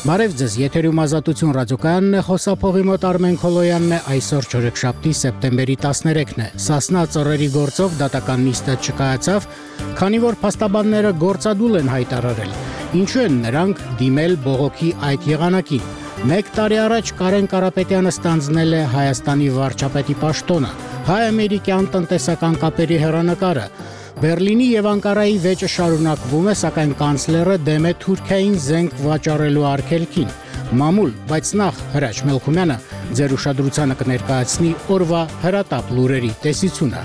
Բարև ձեզ, եթերում Ազատություն ռադիոկայանն է, խոսափողի մոտ Արմեն Քոլոյանն է, այսօր չորեքշաբթի սեպտեմբերի 13-ն է։ Սասնա ծռերի գործով դատական նիստը չկայացավ, քանի որ փաստաբանները գործադուլ են հայտարարել։ Ինչու են նրանք դիմել բողոքի այդ եղանակին։ 1 տարի առաջ Կարեն Կարապետյանը ստանձնել է Հայաստանի վարչապետի պաշտոնը, հայ-ամերիկյան տնտեսական կապերի հեռանկարը։ Բերլինի եւ Անկարայի վեճը շարունակվում է, սակայն կանցլերը դեմ է Թուրքիային զենք վաճառելու արգելքին։ Մամուլ, բայց նախ Հրաչ Մելքումյանը ձեր ուշադրությանը կներկայացնի օրվա հրատապ լուրերի տեսությունը։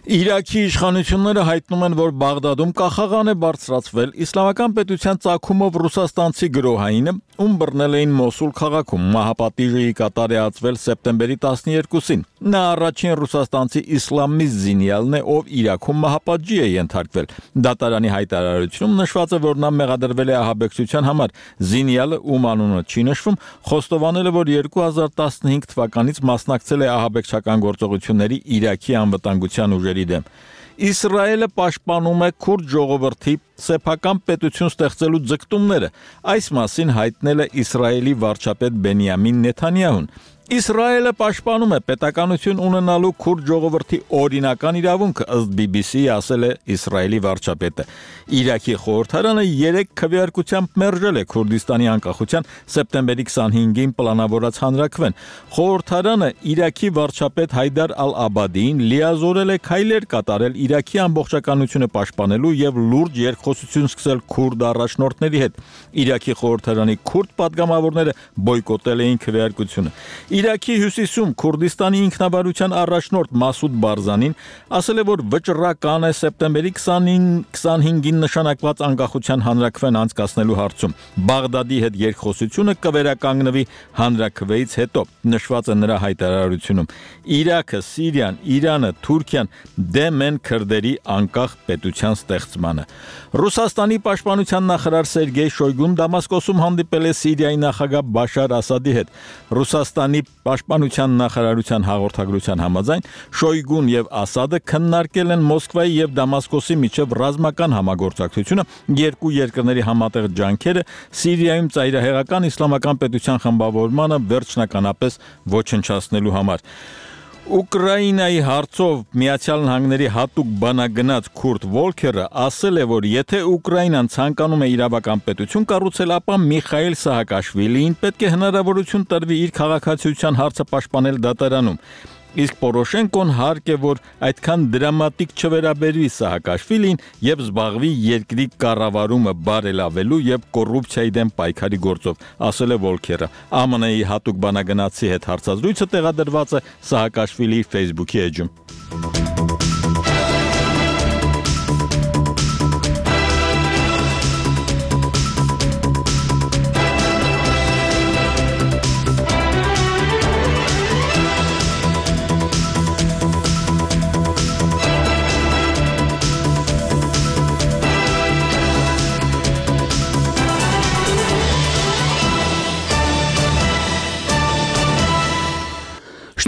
Իրաքի իշխանությունները հայտնում են, որ Բաղդադում կախաղան է բարձրացվել իսլամական պետության ծագումով ռուսաստանցի գրոհայինը, ում բռնել էին Մոսուլ քաղաքում, մահապատիժը կատարածվել սեպտեմբերի 12-ին։ Նա առաջին ռուսաստանցի իսլամիստ զինյալն է, ով Իրաքում մահապատժի է ենթարկվել։ Դատարանի հայտարարությունում նշված է, որ նա մեղադրվել է ահաբեկչության համար։ Զինյալը, ում անունը չի նշվում, խոստովանել է, որ 2015 թվականից մասնակցել է ահաբեկչական գործողությունների Իրաքի անվտանգության ուժերի դեմ։ Իսրայելը պաշտպանում է քուրդ ժողովրդի սեփական պետություն ստեղծելու ձգտումները։ Այս մասին հայտնել է Իսրայելի վարչապետ Բենյամին Նեթանյահուն։ Իսրայելը պաշտպանում է պետականություն ունենալու քուրդ ժողովրդի օրինական իրավունքը, ըստ BBC-ի ասել է Իսրայելի վարչապետը։ Իրաքի խորհրդարանը 3 քվեարկությամբ մերժել է Քուրդիստանի անկախության սեպտեմբերի 25-ին պլանավորած հանրաքվեն։ Խորհրդարանը Իրաքի վարչապետ Հայդար Ալ-Աբադիին լիազորել է քայլեր կատարել Իրաքի ամբողջականությունը պաշտպանելու եւ լուրջ երկխոսություն սկսել քուրդ առաջնորդների հետ։ Իրաքի խորհրդարանի քուրդ падգամավորները բոյկոտել էին քվեարկությունը։ Իրաքի հյուսիսում Քուրդիստանի ինքնավարության առաջնորդ Մասուդ Բարզանին ասել է, որ վճռական է սեպտեմբերի 25-ին նշանակված անկախության հանրաքվեն անցկացնելու հարցում։ Բաղդադի հետ երկխոսությունը կվերականգնվի հանրաքվեից հետո, նշված է նրա հայտարարությունում։ Իրաքը, Սիրիան, Իրանը, Թուրքիան դեմ են քրդերի անկախ պետության ստեղծմանը։ Ռուսաստանի պաշտպանության նախարար Սերգեյ Շոյգուն Դամասկոսում հանդիպել է Սիրիայի նախագահ Բաշար Ասադի հետ։ Ռուսաստանի պաշտպանության նախարարության հաղորդագրության համաձայն Շոյգուն եւ Ասադը քննարկել են Մոսկվայի եւ Դամասկոսի միջև ռազմական համագործակցությունը, երկու երկրների համատեղ ջանքերը Սիրիայում ծայրահեղական իսլամական պետության խմբավորմանը վերջնականապես ոչնչացնելու համար։ Ուկրաինայի հարցով Միացյալ Նահանգների հատուկ բանագնաց Քուրտ Վոլքերը ասել է, որ եթե Ուկրաինան ցանկանում է իրավական պետություն կառուցել, ապա Միխայիլ Սահակաշվիլիին պետք է հնարավորություն տրվի իր քաղաքացիության հարցը պաշտպանել դատարանում։ Իսկ Պորոշենկոն հարկ է, որ այդքան դրամատիկ չվերաբերվի Սահակաշվիլին եւ զբաղվի երկրի կառավարումը բարելավելու եւ կոռուպցիայի դեմ պայքարի գործով, ասել է Վոլքերը։ ԱՄՆ-ի հատուկ բանագնացի հետ հարցազրույցը տեղադրված է Սահակաշվիլիի Facebook-ի էջում։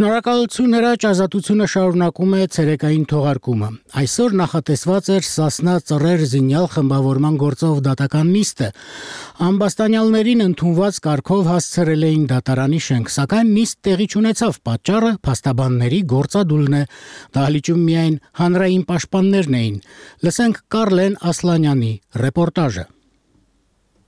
Շնորհակալություն Հրաչ, Ազատությունը շարունակում է ցերեկային թողարկումը։ Այսօր նախատեսված էր Սասնա ծռեր զինյալ խմբավորման գործով դատական նիստը։ Ամբաստանյալներին ընդունված կարգով հասցրել էին դատարանի շենք, սակայն նիստ տեղի չունեցավ, պատճառը փաստաբանների գործադուլն է։ Դահլիճում միայն հանրային պաշտպաններն էին։ Լսենք Կարլեն Ասլանյանի ռեպորտաժը։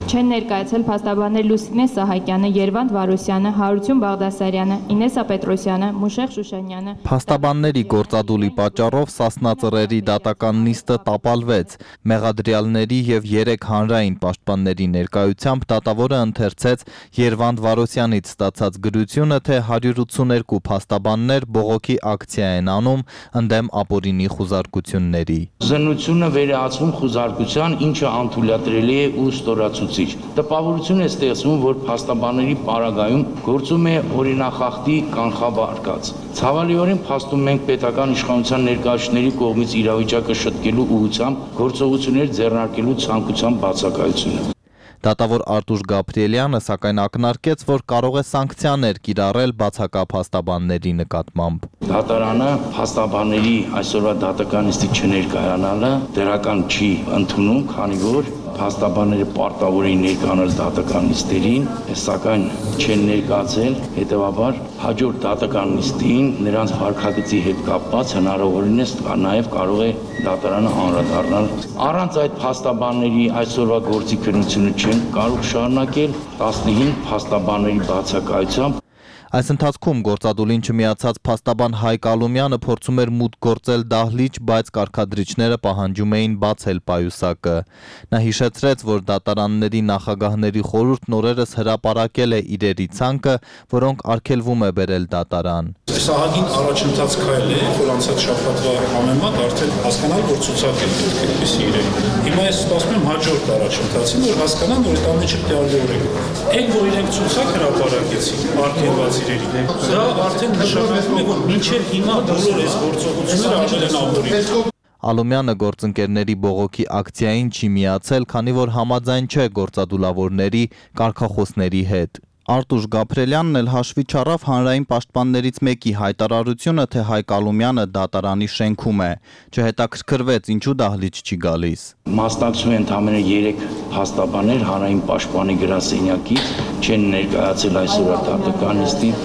Չեն ներկայացել փաստաբաններ Լուսինե Սահակյանը, Երվանդ Վարուսյանը, Հարություն Բաղդասարյանը, Ինեսա Պետրոսյանը, Մուշեղ Շուշանյանը։ Փաստաբանների գործադուլի պատճառով Սասնա ծռերի դատական նիստը տապալվեց։ Մեղադրյալների եւ 3 հանրային պաշտպանների ներկայությամբ դատավորը ընթերցեց Երվանդ Վարուսյանից ստացած գրությունը, թե 182 փաստաբաններ բողոքի ակցիա են անում ընդդեմ ապօրինի խուզարկությունների։ Զննությունը վերահացվում խուզարկության, ինչը անթույլատրելի է ու ստորացուցիչ։ Տպավորություն է ստեղծվում, որ փաստաբանների պարագայում գործում է օրինախախտի կանխավարկած։ Ցավալիորեն փաստում ենք պետական իշխանության ներկայացուցիչների կողմից իրավիճակը շտկելու ուղղությամբ գործողություններ ձեռնարկելու ցանկության բացակայությունը։ Դատավոր Արտուշ Գաբրիելյանը սակայն ակնարկեց, որ կարող է սանկցիաներ կիրառել բացակապ փաստաբանների նկատմամբ։ Դատարանը փաստաբանների այսօրվա դատական նիստի չներկայանալը դրական չի ընդունում, քանի որ փաստաբանները պարտավոր էին ներկայանալ դատական նիստերին, սակայն չեն ներկայացել, հետևաբար հաջորդ դատական նիստին նրանց վարքագծի հետ կապված հնարավորինս նաև կարող է դատարանը անդրադառնալ։ Առանց այդ փաստաբանների այսօրվա գործի քննությունը չեն կարող շարունակել 15 փաստաբանների բացակայությամբ։ Այս ընթացքում գործադուլին չմիացած փաստաբան Հայկ Ալումյանը փորձում էր մուտք գործել դահլիճ, բայց կարգադրիչները պահանջում էին բացել պայուսակը։ Նա հիշեցրեց, որ դատարանների նախագահների խորհուրդն օրերս հրապարակել է իրերի ցանկը, որոնք արգելվում է բերել դատարան։ Սահագին առաջընթաց քայլ է, որ անցած շաբաթվա համեմատ արդեն հասկանալ, որ ցուցակ է պետք է այդպիսի իրերի։ Հիմա ես սպասում եմ հաջորդ առաջընթացին, որ հասկանան, որ այդ ամենը չտեղավորվի։ Այն, որ իրենք ցուցակ հրապարակեցին արգելված իրերի, դա արդեն նշանակում է, որ մինչև հիմա բոլոր այս գործողությունները արվել են ապօրինի։ Ալումյանը գործընկերների բողոքի ակցիային չի միացել, քանի որ համաձայն չէ գործադուլավորների կարգախոսների հետ։ Արտուշ Գաբրիելյանն էլ հաշվի չառավ հանրային պաշտպաններից մեկի հայտարարությունը, թե Հայկ Ալումյանը դատարանի շենքում է, չհետաքրքրվեց ինչու դահլիճ չի գալիս։ Մասնակցում են ընդամենը 3 փաստաբաններ հանրային պաշտպանի գրասենյակից, չեն ներկայացել այսօր դատական նիստին։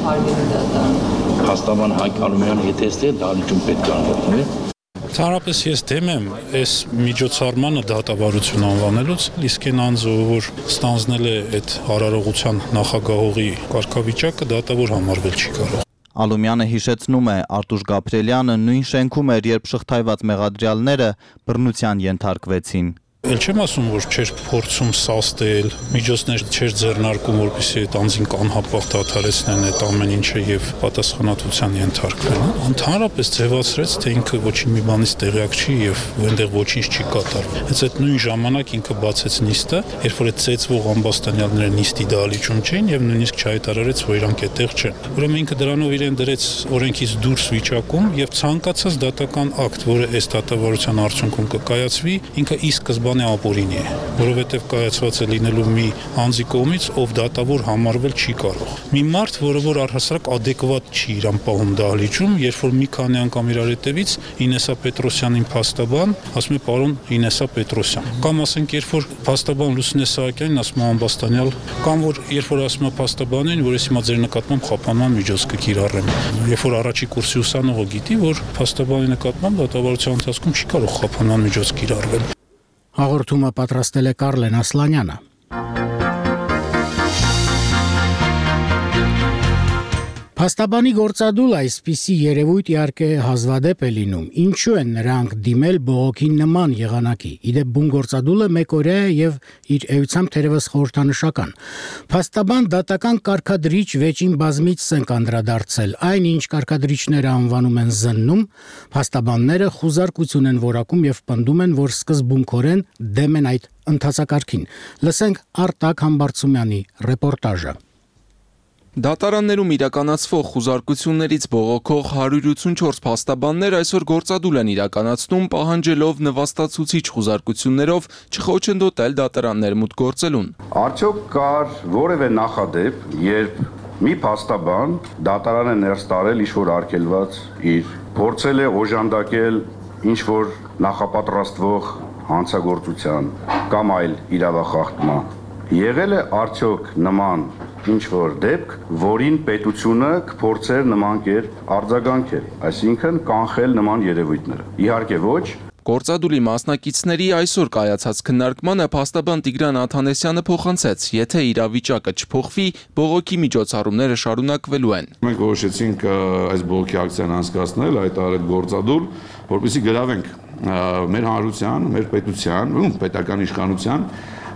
Փաստաբան Հայկ Ալումյանը եթե ստե դահլիճում պետք է անվտանգել։ Ընդհանրապես ես դեմ եմ այս միջոցառմանը դատավարություն անվանելուց, իսկ այն անձը, որ ստանձնել է այդ հարարողության նախագահողի կարգավիճակը, դատավոր համարվել չի կարող։ Ալումյանը հիշեցնում է, Արտուշ Գաբրիելյանը նույն շենքում էր, երբ շղթայված մեղադրյալները բռնության ենթարկվեցին։ Էլ չեմ ասում, որ չէր փորձում սաստել, միջոցներ չէր ձեռնարկում, որպեսզի այդ անձին կանհապաղ դադարեցնեն այդ ամեն ինչը եւ պատասխանատվության ենթարկվեն։ Ընդհանրապես ձևացրեց, թե ինքը ոչինչ մի բանից տեղյակ չի եւ այնտեղ ոչինչ չի կատարվում։ Հենց այդ նույն ժամանակ ինքը բացեց նիստը, երբ որ այդ ծեծվող ամբաստանյալները նիստի դահլիճում չէին եւ նույնիսկ չհայտարարեց, որ իրանք այդտեղ չեն։ Ուրեմն ինքը դրանով իրեն դրեց օրենքից դուրս վիճակում եւ ցանկացած դատական ակտ, որը այս դատավարության արդյունքում կկայացվի, ինքը ի սկզբանե ապօրինի է, որովհետև կայացված է լինելու մի անձի կողմից, ով դատավոր համարվել չի կարող։ Մի մարդ, որը առհասարակ adekvat չի իրան պահում դահլիճում, երբ որ մի քանի անգամ իրար հետևից Ինեսա Պետրոսյանին փաստաբան, ասում է պարոն Ինեսա Պետրոսյան։ Կամ ասենք, երբ որ փաստաբան Լուսինե Սահակյանին ասում է ամբաստանյալ, կամ որ երբ որ ասում է փաստաբանին, որ ես հիմա ձեր նկատմամբ խափանման միջոց կկիրառեմ։ Երբ որ առաջի կուրսի ուսանողը գիտի, որ փաստաբանի նկատմամբ դատավարության ընթացքում չի կարող խափանման միջոց կիրառվել։ Հաղորդումը պատրաստել է Կարլեն Ասլանյանը։ Փաստաբանի գործադուլ այսպիսի երևույթ իհարկե հազվադեպ է լինում։ Ինչու են նրանք դիմել բողոքի նման եղանակի։ Իդեպ բուն գործադուլը մեկօրյա է եւ իր էությամբ թերևս խորհրդանշական։ Փաստաբան դատական կարգադրիչ վեճին բազմից ենք անդրադարձել։ Այն ինչ կարգադրիչները անվանում են զննում, փաստաբանները խուզարկություն են որակում եւ պնդում են, որ սկզբունքորեն դեմ են այդ ընթացակարգին։ Լսենք Արտակ Համբարձումյանի ռեպորտաժը։ Դատարաններում իրականացվող խուզարկություններից բողոքող 184 փաստաբաններ այսօր գործադուլ են իրականացնում, պահանջելով նվաստացուցիչ խուզարկություններով չխոչընդոտել դատարաններ մուտք գործելուն։ Արդյոք կար որևէ նախադեպ, երբ մի փաստաբան դատարան է ներս տարել ինչ-որ արգելված իր, փորձել է օժանդակել ինչ-որ նախապատրաստվող հանցագործության կամ այլ իրավախախտման։ Եղել է արդյոք նման ինչ-որ դեպք, որին պետությունը կփորձեր նման կերպ արձագանքել, այսինքն կանխել նման երևույթները։ Իհարկե ոչ։ Գործադուլի մասնակիցների այսօր կայացած քննարկմանը փաստաբան Տիգրան Աթանեսյանը փոխանցեց, եթե իրավիճակը չփոխվի, բողոքի միջոցառումները շարունակվելու են։ Մենք որոշեցինք այս բողոքի ակցիան անցկացնել, հայտարարել գործադուլ, որպեսզի գրավենք մեր հանրության, մեր պետության, պետական իշխանության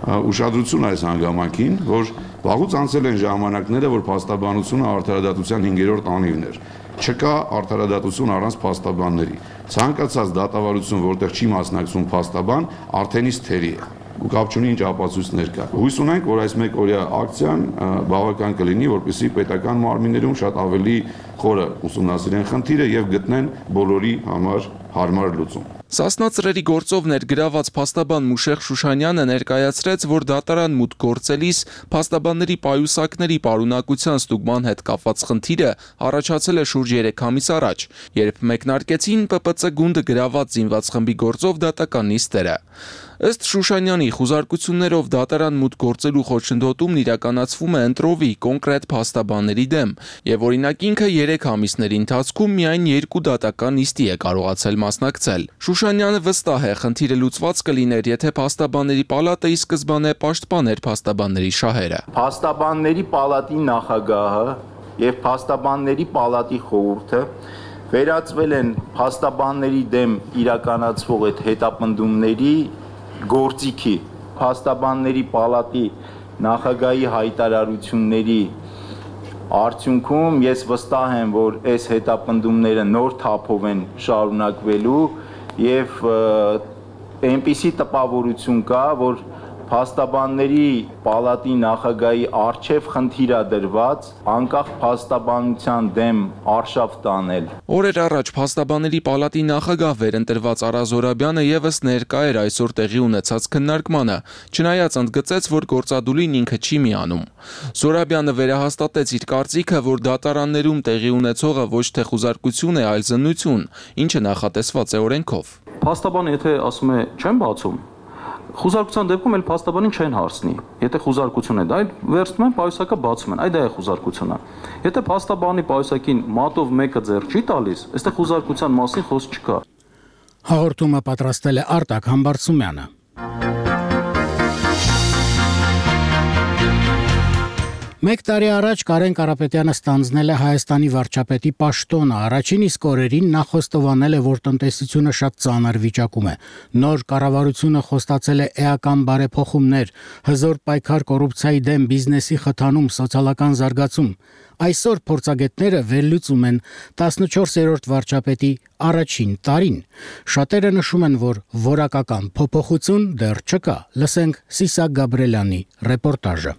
ուշադրություն այս հանգամանքին, որ վաղուց անցել են ժամանակները, որ փաստաբանությունը արդարադատության 5-րդ անիվն էր։ Չկա արդարադատություն առանց փաստաբանների։ Ցանկացած դատավարություն, որտեղ չի մասնակցում փաստաբան, արդենից թերի է։ Ու կապ չունի ինչ ապացույցներ կա։ Հույս ունենք, որ այս մեկօրյա ակցիան բավական կլինի, որպեսզի պետական մարմիններում շատ ավելի խորը ուսումնասիրեն խնդիրը եւ գտնեն բոլորի համար հարմար լուծում։ Սասնա ծռերի գործով ներգրաված փաստաբան Մուշեղ Շուշանյանը ներկայացրեց, որ դատարան մուտք գործելիս փաստաբանների պայուսակների պարունակության ստուգման հետ կապված խնդիրը առաջացել է շուրջ 3 ամիս առաջ, երբ մեկնարկեցին ՊՊՑ գունդը գրաված զինված խմբի գործով դատական նիստերը։ Ըստ Շուշանյանի խուզարկություններով դատարան մուտք գործելու խոչընդոտումն իրականացվում է ընտրովի կոնկրետ փաստաբանների դեմ, եւ օրինակ ինքը 3 ամիսների ընթացքում միայն 2 դատական նիստի է կարողացել մասնակցել։ Շուշանյանը վստահ է, խնդիրը լուծված կլիներ, եթե փաստաբանների պալատը ի սկզբանե պաշտպաներ փաստաբանների շահերը։ Փաստաբանների պալատի նախագահը եւ փաստաբանների պալատի խորհուրդը վերածվել են փաստաբանների դեմ իրականացվող այդ հետապնդումների գործիքի։ Փաստաբանների պալատի նախագահի հայտարարությունների արդյունքում ես վստահ եմ, որ այս հետապնդումները նոր թափով են շարունակվելու եւ այնպիսի տպավորություն կա, որ փաստաբանների պալատի նախագահի արչև խնդիրադրված անկախ փաստաբանության դեմ արշավ տանել։ Օրեր առաջ փաստաբանների պալատի նախագահ վերընտրված Արա Զորաբյանը եւս ներկա էր այսօր տեղի ունեցած քննարկմանը, չնայած ընդգծեց, որ գործադուլին ինքը չի միանում։ Զորաբյանը վերահաստատեց իր կարծիքը, որ դատարաններում տեղի ունեցողը ոչ թե խուզարկություն է, այլ զննություն, ինչը նախատեսված է օրենքով։ Փաստաբանը եթե ասում է չեմ բացում, խուզարկության դեպքում էլ փաստաբանին չեն հարցնի։ Եթե խուզարկություն է, դա վերցնում են պայուսակը բացում են, այդ դա է խուզարկությունը։ Եթե փաստաբանի պայուսակին մատով մեկը ձեռ չի տալիս, այստեղ խուզարկության մասին խոսք չկա։ Հաղորդումը պատրաստել է Արտակ Համբարձումյանը։ Մեկ տարի առաջ Կարեն Կարապետյանը ստանձնել է Հայաստանի վարչապետի պաշտոնը, առաջին իսկ օրերին նա խոստովանել է, որ տնտեսությունը շատ ծանր վիճակում է։ Նոր կառավարությունը խոստացել է էական բարեփոխումներ, հզոր պայքար կոռուպցիայի դեմ, բիզնեսի խթանում, սոցիալական զարգացում։ Այսօր փորձագետները վերլուծում են 14-րդ վարչապետի առաջին տարին։ Շատերը նշում են, որ որակական փոփոխություն դեռ չկա։ Լսենք Սիսակ Գաբրելյանի ռեպորտաժը։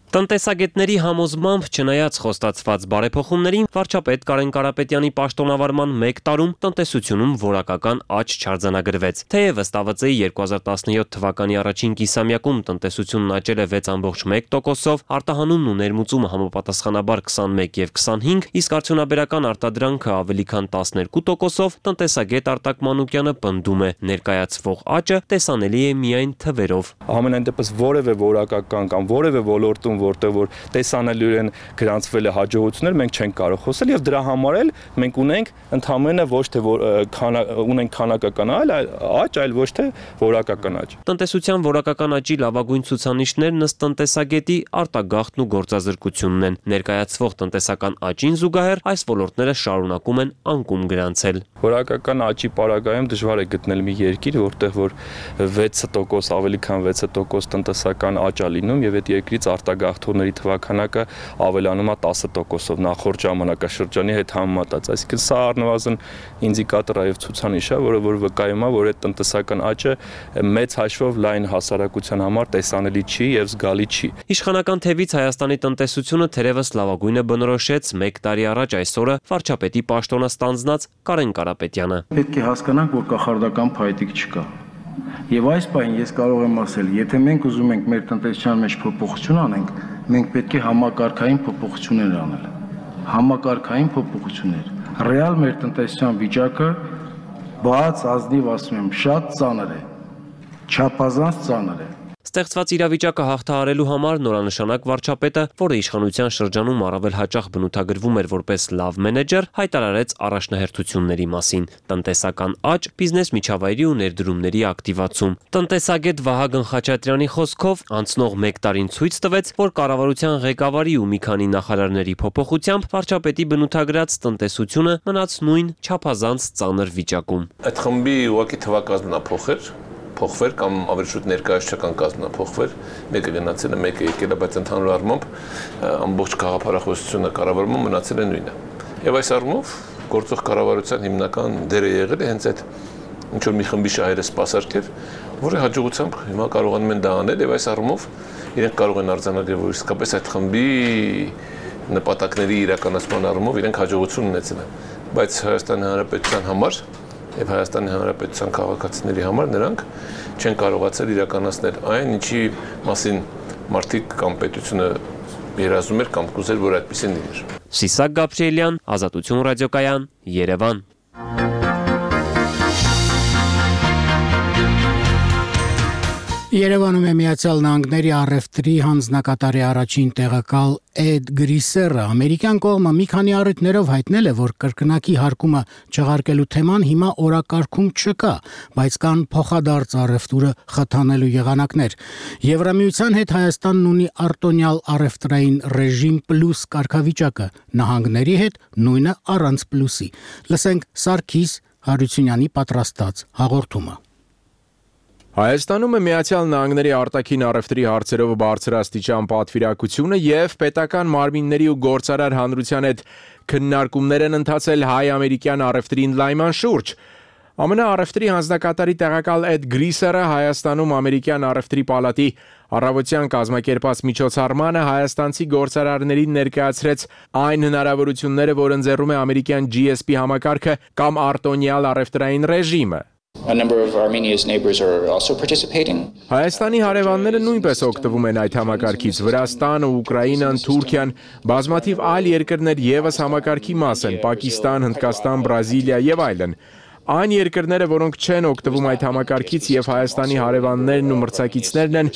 Տնտեսագետների համոզմամբ, չնայած խոստացված բարեփոխումներին, վարչապետ Կարեն Կարապետյանի պաշտոնավարման 1 տարում տնտեսությունում որակական աճ չարձանագրվեց։ Թեև ըստ ԱՎԾ-ի 2017 թվականի առաջին կիսամյակում տնտեսությունն աճել է 6.1%-ով, արտահանումն ու ներմուծումը համապատասխանաբար 21 եւ 25, իսկ արդյունաբերական արտադրանքը ավելի քան 12%-ով, տնտեսագետ Արտակ Մանուկյանը պնդում է, ներկայացվող աճը տեսանելի է միայն թվերով։ Համենայն դեպս որևէ որակական կամ որևէ ոլորտում որտեղ որ տեսանելիորեն գրանցվել է հաջողություններ, մենք չենք կարող խոսել եւ դրա համար էլ մենք ունենք ընդհանրապես ոչ թե ունենք քանակական աճ, այլ ոչ թե որակական աճ։ Տնտեսության որակական աճի լավագույն ցուցանիշներն ըստ տնտեսագետի արտագաղթն ու գործազրկությունն են։ Ներկայացվող տնտեսական աճին զուգահեռ այս ոլորտները շարունակում են անկում գրանցել։ Որակական աճի պարագայում դժվար է գտնել մի երկիր, որտեղ որ 6% ավելի քան 6% տնտեսական աճ է լինում եւ այդ երկրից արտագաղթողների թվականակը ավելանում է 10%-ով նախորդ ժամանակաշրջանի հետ համեմատած։ Այսինքն սա առնվազն ինդիկատոր է եւ ցուցանիշ է, որը որ վկայում է, որ այդ տնտեսական աճը մեծ հաշվով լայն հասարակության համար տեսանելի չի եւ զգալի չի։ Իշխանական թևից Հայաստանի տնտեսությունը թերևս լավագույնը բնորոշեց 1 տարի առաջ այսօրը վարչապետի պաշտոնը ստանձնած Կարեն Կարապետյանը։ Պետք է հասկանանք, որ կախարդական փայտիկ չկա։ Եվ այս պահին ես կարող եմ ասել, եթե մենք ուզում ենք մեր տնտեսության մեջ փոփոխություն անենք, մենք պետք է համակարգային փոփոխություններ անել։ Համակարգային փոփոխություններ։ Ռեալ մեր տնտեսության վիճակը բաց ազնիվ ասում եմ, շատ ծանր է։ Չափազանց ծանր է։ Ստեղծված իրավիճակը հաղթահարելու համար նորանշանակ վարչապետը, որը իշխանության շրջանում առավել հաճախ բնութագրվում էր որպես լավ մենեջեր, հայտարարեց առաջնահերթությունների մասին՝ տնտեսական աճ, բիզնես միջավայրի ու ներդրումների ակտիվացում։ Տնտեսագետ Վահագն Խաչատրյանի խոսքով անցնող 1 տարին ցույց տվեց, որ կառավարության ղեկավարի ու մի քանի նախարարների փոփոխությամբ վարչապետի բնութագրած տնտեսությունը մնաց նույն չափազանց ծանր վիճակում։ Այդ խմբի ուղղակի թվակազմն է փոխվել կամ ավելի շուտ ներկայացչական կազմն փոխվել, մեկը գնացել է, մեկը եկել է, բայց ընդհանուր առմամբ ամբողջ քաղաքապարախոսությունը կառավարումը մնացել է նույնը։ Եվ այս առումով գործող կառավարության հիմնական դերը եղել է հենց այդ ինչ որ մի խմբի շահերը սպասարկել, որը հաջողությամբ հիմա կարողանում են դա անել եւ այս առումով իրենք կարող են արձանագրել, որ իսկապես այդ խմբի նպատակների իրականացման առումով իրենք հաջողություն ունեցել են։ Բայց Հայաստանի Հանրապետության համար եւ Հայաստանի Հանրապետության քաղաքացիների համար նրանք չեն կարողացել իրականացնել այն, ինչի մասին մարդիկ կամ պետությունը երազում էր կամ կուզեր, որ այդպեսին լիներ։ Սիսակ Գաբրիելյան, Ազատություն ռադիոկայան, Երևան։ Երևանում է Միացյալ Նահանգների առևտրի հանձնակատարի առաջին տեղակալ Էդ Գրիսերը ամերիկյան կողմը մի քանի առիթներով հայտնել է, որ կրկնակի հարկումը չեղարկելու թեման հիմա օրակարգում չկա, բայց կան փոխադարձ առևտուրը խթանելու եղանակներ։ Եվրամիության հետ Հայաստանն ունի արտոնյալ առևտրային ռեժիմ պլյուս կարգավիճակը, նահանգների հետ նույնը առանց պլյուսի։ Լսենք Սարգիս Հարությունյանի պատրաստած հաղորդումը։ Հայաստանում է Միացյալ Նահանգների արտաքին առևտրի հարցերով բարձրաստիճան պատվիրակությունը եւ պետական մարմինների ու գործարար հանրության հետ քննարկումներ են ընթացել հայ-ամերիկյան առևտրի ընդլայնման շուրջ։ ԱՄՆ առևտրի հանձնակատարի տեղակալ Էդ Գրիսերը Հայաստանում ամերիկյան առևտրի պալատի առավոտյան կազմակերպած միջոցառմանը հայաստանցի գործարարներին ներկայացրեց այն հնարավորությունները, որ ընձեռում է ամերիկյան GSP համակարգը կամ արտոնյալ առևտրային ռեժիմը։ A number of Armenia's neighbors are also participating. Հայաստանի հարևանները նույնպես օգտվում են այդ համակարգից։ Վրաստանը, Ուկրաինան, Թուրքիան, բազմաթիվ այլ երկրներ եւս համակարգի մաս են՝ Պակիստան, Հնդկաստան, Բրազիլիա եւ այլն։ Այն երկրները, որոնք չեն օգտվում այդ համակարգից եւ Հայաստանի հարևաններն ու մրցակիցներն են,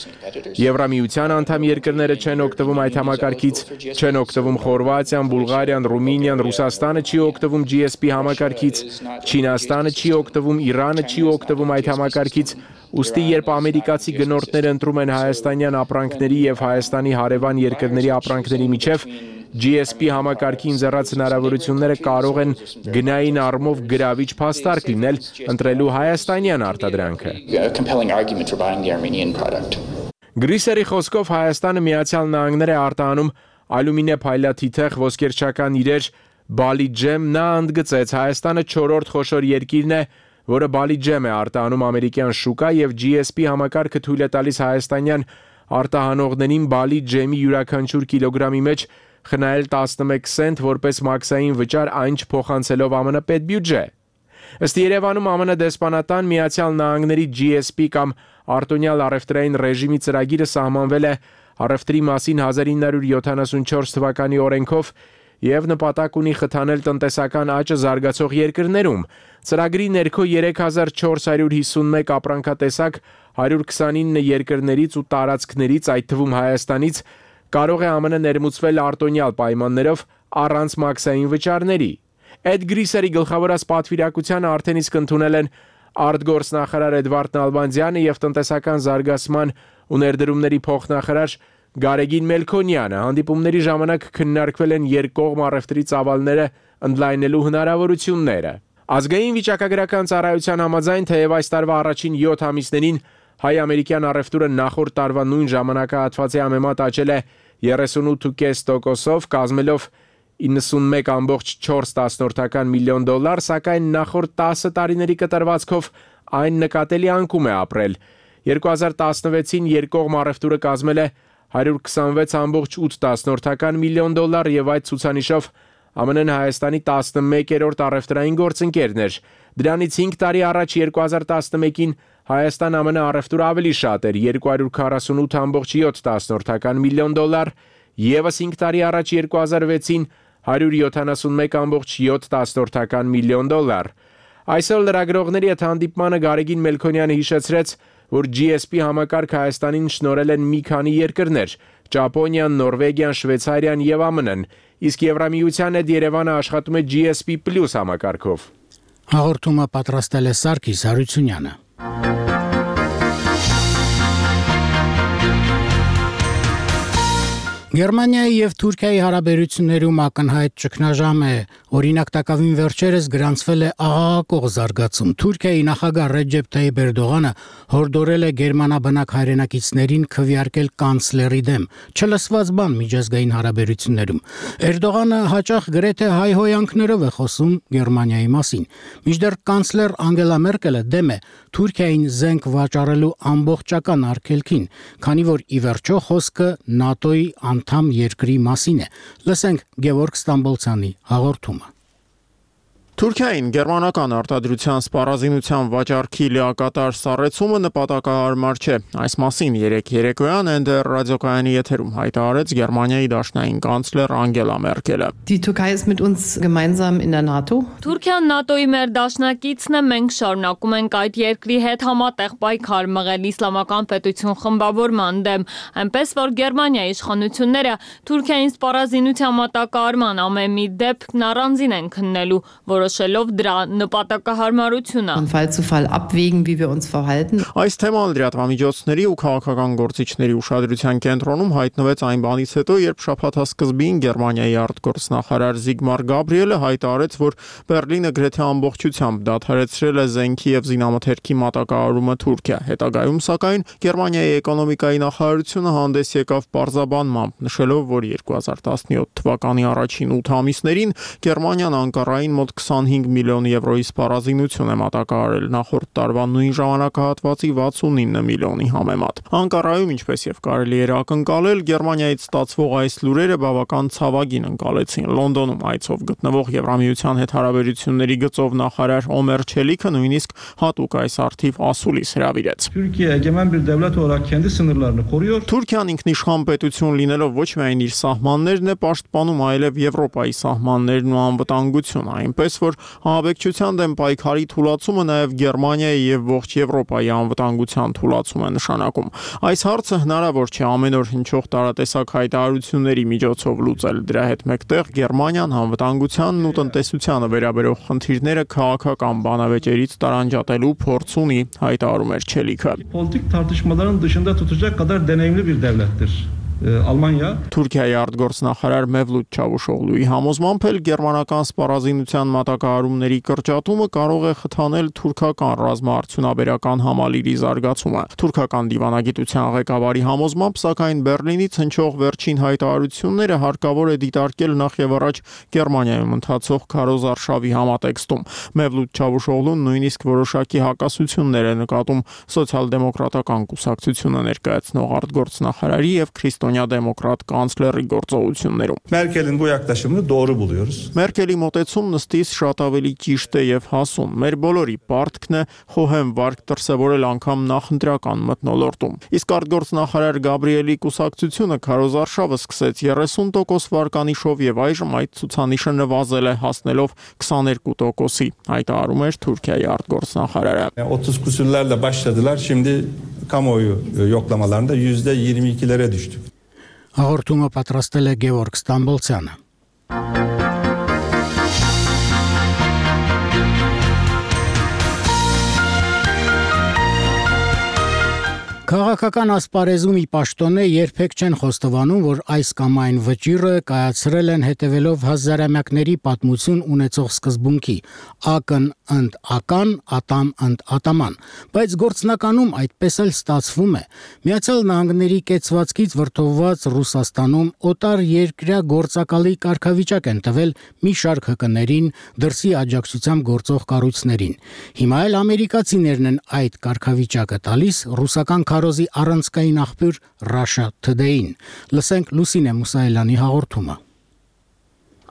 Եվրամիության անդամ երկրները չեն օգտվում այդ համակարգից, չեն օգտվում Խորվաթիան, Բուլղարիան, Ռումինիան, Ռուսաստանը չի օգտվում GSP համակարգից, Չինաստանը չի օգտվում, Իրանը չի օգտվում այդ համակարգից, ուստի երբ ամերիկացի գնորդները ընտրում են հայաստանյան ապրանքների եւ Հայաստանի հարևան երկրների ապրանքների միջև GSP համակարգի ինձեռած հնարավորությունները կարող են գնային առումով գրավիչ փաստարկ լինել ընտրելու հայաստանյան արտադրանքը։ Գրիսերի խոսքով Հայաստանը Միացյալ Նահանգներ է արտահանում ալյումինե փայլաթիթեղ, ոսկերչական իրեր, բալի ջեմ, նա ընդգծեց Հայաստանը 4-րդ խոշոր երկիրն է, որը բալի ջեմ է արտահանում ամերիկյան շուկա եւ GSP համակարգը թույլ է տալիս հայաստանյան արտահանողներին բալի ջեմի յուրաքանչյուր կիլոգրամի մեջ խնայել 11 սենտ որպես մաքսային վճար, այն չփոխանցելով ԱՄՆ պետբյուջե։ Ըստ Երևանում ԱՄՆ դեսպանատան Միացյալ Նահանգների GSP կամ արտոնյալ առևտրային ռեժիմի ծրագիրը սահմանվել է առևտրի մասին 1974 թվականի օրենքով եւ նպատակ ունի խթանել տնտեսական աճը զարգացող երկրներում։ Ծրագրի ներքո 3451 ապրանքատեսակ 129 երկրներից ու տարածքներից, այդ թվում Հայաստանից, կարող է ԱՄՆ ներմուծվել արտոնյալ պայմաններով առանց մաքսային վճարների։ Էդ Գրիսերի գլխավորած պատվիրակությանը արդեն իսկ ընդունել են արտգործնախարար Էդվարդ Նալբանդյանը եւ տնտեսական զարգացման ու ներդրումների փոխնախարար Գարեգին Մելքոնյանը։ Հանդիպումների ժամանակ քննարկվել են երկկողմ առևտրի ծավալները ընդլայնելու հնարավորությունները։ Ազգային վիճակագրական ծառայության համաձայն, թեև այս տարվա առաջին 7 ամիսներին հայ-ամերիկյան առևտուրը նախորդ տարվա նույն ժամանակահատվածի համեմատ աճել է 38.5%-ով, կազմելով 91.4 միլիոն դոլար, սակայն նախորդ 10 տարիների կտրվածքով այն նկատելի անկում է ապրել։ 2016-ին երկկողմ առևտուրը կազմել է 126.8 միլիոն դոլար եւ այդ ցուցանիշով ԱՄՆ-ն Հայաստանի 11-րդ առևտրային գործընկերն էր։ Դրանից 5 տարի առաջ 2011-ին Հայաստան-ԱՄՆ առևտուրը ավելի շատ էր՝ 248.7 միլիոն դոլար, եւս 5 տարի առաջ 2006-ին 171.7 միլիոն դոլար։ Այսօր լրագրողների հետ հանդիպմանը Գարեգին Մելքոնյանը հիշեցրեց, որ GSP համակարգ Հայաստանին շնորհել են մի քանի երկրներ՝ Ճապոնիան, Նորվեգիան, Շվեյցարիան եւ ԱՄՆ-ն, իսկ Եվրամիության հետ Երևանը աշխատում է GSP+ համակարգով։ Հաղորդումը պատրաստել է Սարգիս Հարությունյանը։ Գերմանիայի եւ Թուրքիայի հարաբերություններում ակնհայտ ճգնաժամ է։ Օրինակ տակավին վերջերս գրանցվել է աղաղակող զարգացում։ Թուրքիայի նախագահ Ռեջեփ Թայիփ Էրդողանը հորդորել է գերմանաբնակ հայրենակիցներին քվեարկել կանցլերի դեմ, չլսված բան միջազգային հարաբերություններում։ Էրդողանը հաճախ գրեթե հայհոյանքներով է խոսում Գերմանիայի մասին։ Մինչդեռ կանցլեր Անգելա Մերկելը դեմ է Թուրքիային զենք վաճառելու ամբողջական արգելքին, քանի որ ի վերջո խոսքը ՆԱՏՕ-ի անդամ երկրի մասին է։ Լսենք Գևորգ Ստամբոլցյանի հաղորդումը։ Թուրքիային գերմանական արտադրության սպառազինության վաճառքի լիակատար սառեցումը նպատակահարմար չէ։ Այս մասին երեկոյան NDR ռադիոկայանի եթերում հայտարարեց Գերմանիայի դաշնային կանցլեր Անգելա Մերկելը։ Die Türkei ist mit uns gemeinsam in der NATO. Թուրքիան ՆԱՏՕ-ի մեր դաշնակիցն է, մենք շարունակում ենք այդ երկրի հետ համատեղ պայքար մղել իսլամական պետություն խմբավորման դեմ, այնպես որ Գերմանիայի իշխանությունները Թուրքիային սպառազինության մատակարարման ամեն մի դեպքն առանձին են քննելու, որոշելով դրա նպատակահարմարությունը։ Von Fall zu Fall abwägen, wie wir uns verhalten. Այս թեման լրատվամիջոցների ու քաղաքական գործիչների ուշադրության կենտրոնում հայտնվեց այն բանից հետո, երբ շաբաթասկզբին Գերմանիայի արտգործնախարար Զիգմար Գաբրիելը հայտարարեց, որ Բերլինը գրեթե ամբողջությամբ դադարեցրել է զենքի եւ զինամթերքի մատակարարումը Թուրքիա։ Հետագայում, սակայն, Գերմանիայի էկոնոմիկայի նախարարությունը հանդես եկավ պարզաբանմամբ, նշելով, որ 2017 թվականի առաջին 8 ամիսներին Գերմանիան Անկարային մոտ 25 միլիոն եվրոյի սպառազինություն է մատակարարել, նախորդ տարվա նույն ժամանակահատվածի 69 միլիոնի համեմատ։ Անկարայում, ինչպես եւ կարելի էր ակնկալել, Գերմանիայից ստացվող այս լուրերը բավական ցավագին ընկալեցին։ Լոնդոնում այցով գտնվող Եվրամիության հետ հարաբերությունների գծով նախարար Օմեր Չելիքը նույնիսկ հատուկ այս արդիվ ասուլիս հրավիրեց։ Թուրքիան ինքնիշխան պետություն լինելով ոչ միայն իր սահմաններն է պաշտպանում, այլև Եվրոպայի սահմաններն ու անվտանգությունը, այնպես որ ահաբեկչության դեմ պայքարի թուլացումը նաև Գերմանիայի եւ ողջ Եվրոպայի անվտանգության թուլացում է նշանակում։ Այս հարցը հնարավոր չէ ամեն օր հնչող տարատեսակ հայտարարությունների միջոցով լուծել։ Դրա հետ մեկտեղ Գերմանիան անվտանգությանն ու տնտեսությանը վերաբերող խնդիրները քաղաքական բանավեճերից տարանջատելու փորձ ունի, հայտարարում էր Չելիքը։ Politik tartışmaların dışında tutacak kadar deneyimli bir devlettir. Almanya Թուրքիայի արտգործնախարար Մևլութ Չավուշօղլուի համոզմամբ էլ գերմանական սպառազինության մատակարարումների կրճատումը կարող է խթանել թուրքական ռազմաարդյունաբերական համալիրի զարգացումը։ Թուրքական դիվանագիտության ղեկավարի համոզմամբ, սակայն Բերլինից հնչող վերջին հայտարարությունները հարկավոր է դիտարկել նախ եւ առաջ Գերմանիայում ընթացող քարոզարշավի համատեքստում։ Մևլութ Չավուշօղլուն նույնիսկ որոշակի հակասություններ է նկատում սոցիալ-դեմոկրատական կուսակցությունը ներկայացնող արտգործնախարարի եւ Դեմոկրատ կանցլերի գործողություններում։ Merkel'in bu yaklaşımını doğru buluyoruz. Մերկելի մոտեցումն ըստիս շատ ավելի ճիշտ է եւ հասուն։ Մեր բոլորի պարտքն է խոհեմ վարկ դրսևորել անգամ նախընտրական մթնոլորտում։ Իսկ արտգործնախարար Գաբրիելի կուսակցությունը քարոզարշավը սկսեց 30% վարկանիշով եւ այժմ այդ ցուցանիշը նվազել է հասնելով 22%-ի, հայտարարում էր Թուրքիայի արտգործնախարարը։ 30 küsürlerle başladılar. Şimdi kamuoyu yoklamalarında %22'lere düştü. Հաղորդումը պատրաստել է Գևորգ Ստամբոլցյանը։ Քաղաքական ասպարեզում ի պաշտոնե երբեք չեն խոստովանում, որ այս կամ այն վճիռը կայացրել են հետևելով հազարամյակների պատմություն ունեցող սկզբունքի՝ ակն ընդ ական, ատամ ընդ ատաման, բայց գործնականում այդպես էլ ստացվում է։ Միացյալ Նահանգների կեցվածքից վրդովված Ռուսաստանում օտար երկրյա գործակալի կարգավիճակ են տվել մի շարք ՀԿ-ներին, դրսի աջակցությամբ գործող կառույցներին։ Հիմա էլ ամերիկացիներն են այդ կարգավիճակը տալիս ռուսական քարոզի առանցքային աղբյուր Russia Today-ին։ Լսենք Լուսինե Մուսայելյանի հաղորդումը։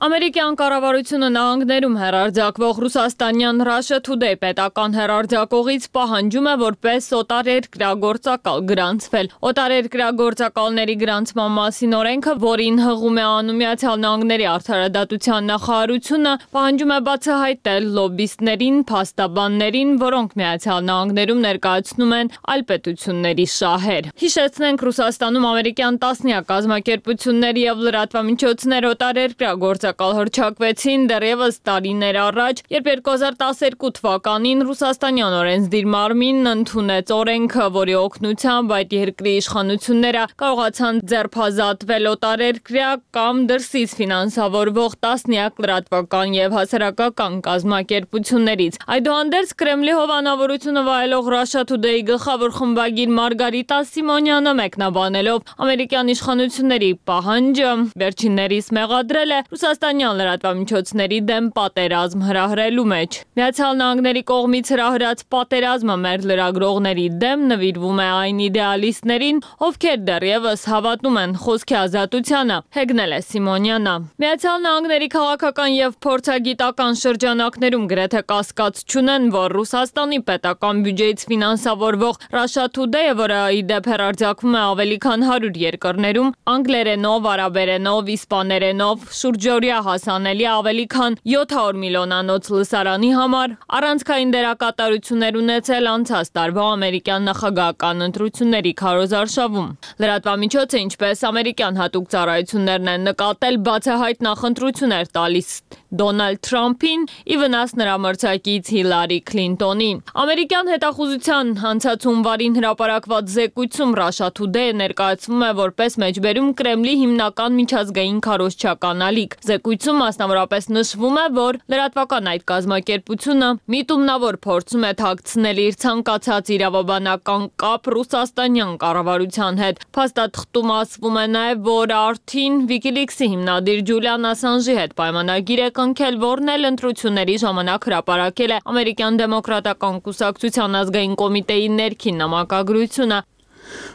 Ամերիկյան կառավարությունը նահանգներում հեռարձակվող ռուսաստանյան Russia Today պետական հեռարձակողից պահանջում է որպես օտարերկրյա գործակալ գրանցվել։ Օտարերկրյա գործակալների գրանցման մասին օրենքը, որին հղում է անում Միացյալ Նահանգների արդարադատության նախարարությունը, պահանջում է բացահայտել լոբբիստներին, փաստաբաններին, որոնք Միացյալ Նահանգներում ներկայացնում են այլ պետությունների շահեր։ Հիշեցնենք, Ռուսաստանում ամերիկյան տասնյակ կազմակերպություններ եւ լրատվամիջոցներ օտարերկրյա հռչակվեցին դեռևս տարիներ առաջ, երբ 2012 թվականին ռուսաստանյան օրենսդիր մարմինն ընդունեց օրենքը, որի օգնությամբ այդ երկրի իշխանությունները կարողացան ձերբազատվել օտարերկրյա կամ դրսից ֆինանսավորվող տասնյակ լրատվական եւ հասարակական կազմակերպություններից։ Այդուհանդերձ Կրեմլի հովանավորությունը վայելող Russia Today-ի գլխավոր խմբագիր Մարգարիտա Սիմոնյանը մեկնաբանելով ամերիկյան իշխանությունների պահանջը վերջիններիս մեղադրել է ռուսաստանյան լրատվամիջոցների դեմ պատերազմ հրահրելու մեջ։ Միացյալ Նահանգների կողմից հրահրած պատերազմը մեր լրագրողների դեմ նվիրվում է այն իդեալիստներին, ովքեր դեռևս հավատում են խոսքի ազատությանը, հեգնել է Սիմոնյանը։ Միացյալ Նահանգների քաղաքական եւ փորձագիտական շրջանակներում գրեթե կասկած չունեն, որ Ռուսաստանի պետական բյուջեից ֆինանսավորվող Russia Today-ը, որը ի դեպ հեռարձակվում է ավելի քան 100 երկրներում, անգլերենով, արաբերենով, իսպաներենով, շուրջօրյա հասանելի ավելի քան 700 միլիոնանոց լսարանի համար առանցքային դերակատարություններ ունեցել անցած տարվա ամերիկյան նախագահական ընտրությունների քարոզարշավում։ Լրատվամիջոցը, ինչպես ամերիկյան հատուկ ծառայություններն են նկատել, բացահայտ նախընտրություններ տալիս Դոնալդ Թրամփին ի վնաս նրա մրցակից Հիլարի Քլինտոնին։ Ամերիկյան հետախուզության անցած հունվարին հրապարակված զեկույցում Russia Today-ը ներկայացվում է որպես մեջբերում Կրեմլի հիմնական միջազգային քարոզչական ալիք։ Զեկույցում մասնավորապես նշվում է, որ լրատվական այդ կազմակերպությունը միտումնավոր փորձում է թաքցնել իր ցանկացած իրավաբանական կապ ռուսաստանյան կառավարության հետ։ Փաստաթղթում ասվում է նաև, որ արդին WikiLeaks-ի հիմնադիր Ջուլիան Ասանժի հետ պայմանագիր է կնքել, որն էլ ընտրությունների ժամանակ հրապարակել է ամերիկյան դեմոկրատական կուսակցության ազգային կոմիտեի ներքին նամակագրությունը։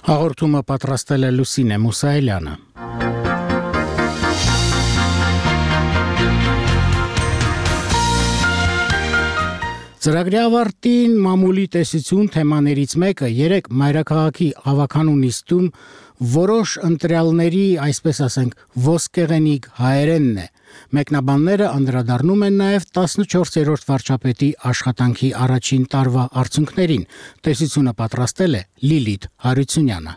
Հաղորդումը պատրաստել է Լուսինե Մուսայելյանը։ Ծրագրի ավարտին մամուլի տեսություն թեմաներից մեկը երեք մայրաքաղաքի ավականու նիստում որոշ ընտրյալների, այսպես ասենք, ոսկեղենիկ հայերենն է։ Մեկնաբանները անդրադառնում են նաև 14-րդ վարչապետի աշխատանքի առաջին տարվա արդյունքներին։ Տեսությունը պատրաստել է Լիլիթ Հարությունյանը։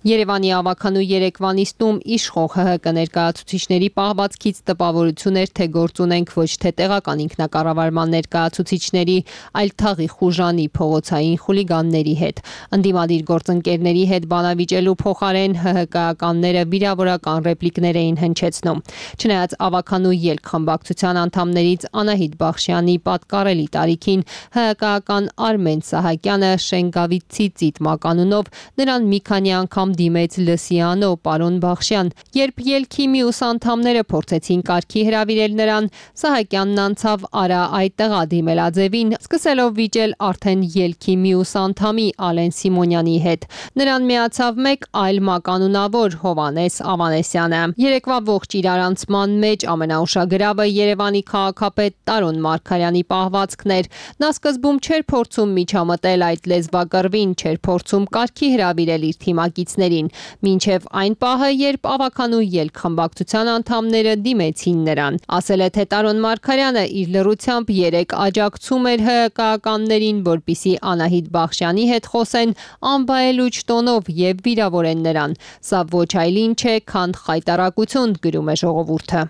Երևանի ավականու երեկվա նիստում իշխող ՀՀԿ ներկայացուցիչների պահվածքից տպավորություն էր, թե գործ ունենք ոչ թե տեղական ինքնակառավարման ներկայացուցիչների, այլ թաղի խուժանի փողոցային խուլիգանների հետ։ Ընդդիմադիր գործընկերների հետ բանավիճելու փոխարեն ՀՀԿ-ականները վիրավորական ռեպլիկներ էին հնչեցնում։ Չնայած ավականու ելք խմբակցության անդամներից Անահիտ Բախշյանի պատկառելի տարիքին ՀՀԿ-ական Արմեն Սահակյանը Շենգավիթցի ծիտ մականունով նրան մի քանի անգամ դիմեց լսիանո պարոն Բախշյան։ Երբ ելքի մյուս անդամները փորձեցին կարգի հրավիրել նրան, Սահակյանն անցավ արա այդտեղա դիմելաձևին, սկսելով վիճել արդեն ելքի մյուս անդամի Ալեն Սիմոնյանի հետ։ Նրան միացավ մեկ այլ մականունավոր Հովանես Ավանեսյանը։ Երեկվա ողջ իրարանցման մեջ ամենաուշագրավը Երևանի քաղաքապետ Տարոն Մարգարյանի պահվածքն էր։ Նա սկզբում չէր փորձում միջամտել այդ լեզվակռվին, չէր փորձում կարգի հրավիրել իր թիմակիցներին, մինչև այն պահը, երբ ավականու ելք խմբակցության անդամները դիմեցին նրան։ Ասել է, թե Տարոն Մարգարյանը իր լռությամբ երեք աջակցում էր ՀՀԿ-ականներին, որպիսի Անահիտ Բախշյանի հետ խոսեն անվայելուչ տոնով եւ վիրավորեն նրան։ Սա ոչ այլ ինչ է, քան խայտառակություն, գրում է ժողովուրդը։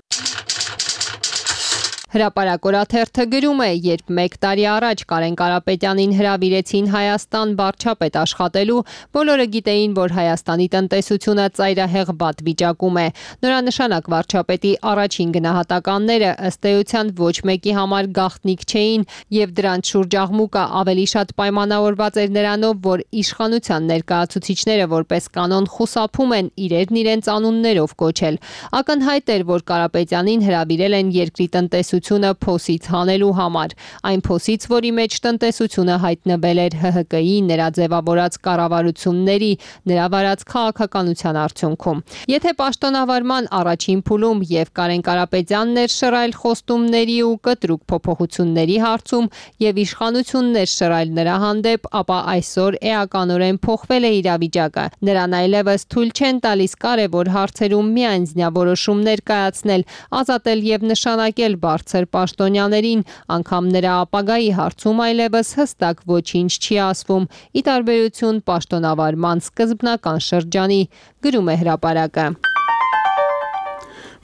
Հրապարակ-օրաթերթը գրում է, երբ 1 տարի առաջ Կարեն Կարապետյանին հրավիրեցին Հայաստան վարչապետ աշխատելու, բոլորը գիտեին, որ Հայաստանի տնտեսությունը ծայրահեղ վատ վիճակում է։ Նորանշանակ վարչապետի առաջին գնահատականները ըստ էության ոչ մեկի համար գաղտնիք չէին, եւ դրանց շուրջ աղմուկը ավելի շատ պայմանավորված էր նրանով, որ իշխանության ներկայացուցիչները որպես կանոն խուսափում են իրերն իրենց անուններով կոչել։ Ակնհայտ էր, որ Կարապետյանին հրավիրել են երկրի տնտեսությունը փոսից հանելու համար, այն փոսից, որի մեջ տնտեսությունը հայտնվել էր ՀՀԿ-ի նրա ձևավորած կառավարությունների, նրա վարած քաղաքականության արդյունքում։ Եթե պաշտոնավարման առաջին փուլում եւ Կարեն Կարապետյանն էր շռայլ խոստումների ու կտրուկ փոփոխությունների հարցում եւ իշխանություններ շռայլ նրա հանդեպ, ապա այսօր էականորեն փոխվել է իրավիճակը։ Նրան այլևս թույլ չեն տալիս կարևոր հարցերում միանձնյա որոշումներ կայացնել, ազատել եւ նշանակել բարձր պաշտոնյաներին, անգամ նրա ապագայի հարցում այլևս հստակ ոչինչ չի ասվում, ի տարբերություն պաշտոնավարման սկզբնական շրջանի, գրում է հրապարակը։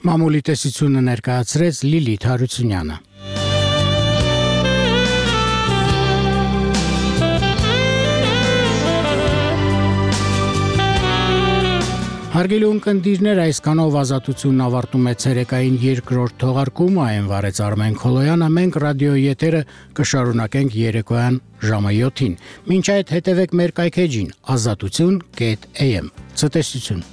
Մամուլի տեսությունը ներկայացրեց Լիլիթ Հարությունյանը։ Հարգելի ունկնդիրներ, այսքանով ազատությունն ավարտում է ցերեկային երկրորդ թողարկումը, այն վարեց Արմեն Քոլոյանը, մենք ռադիոյի եթերը կշարունակենք երեկոյան ժամը 7-ին։ Մինչ այդ հետևեք մեր կայքեջին azatutun.am։ Ցտեսություն։